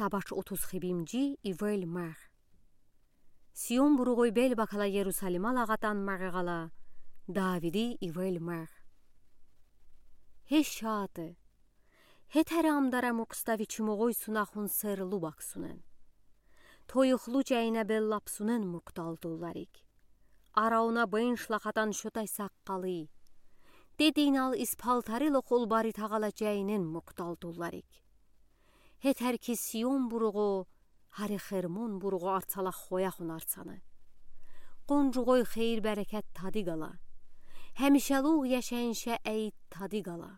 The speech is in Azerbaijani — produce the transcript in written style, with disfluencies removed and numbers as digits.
Сабач 30 хибимджи ивел мар. Сион буругой бел бакала Иерусалима лагатан маргала. Давиди ивел мар. Хешаты. Хетерам дарам уқстави чумогой сунахун сер лубаксунен. Тойухлу жайна бел лапсунен мукталдуларик. Арауна бен шлахатан шотай саққалы. Дединал испалтарило холбари тағала жайнен мукталдуларик. Хетер ки Сион буругу, хари Хермон буругу арцала хояхун арцаны. Qoncuğoy xeyir bərəkət tadı qala. Həmişəluq yaşayınşə əyid tadı qala.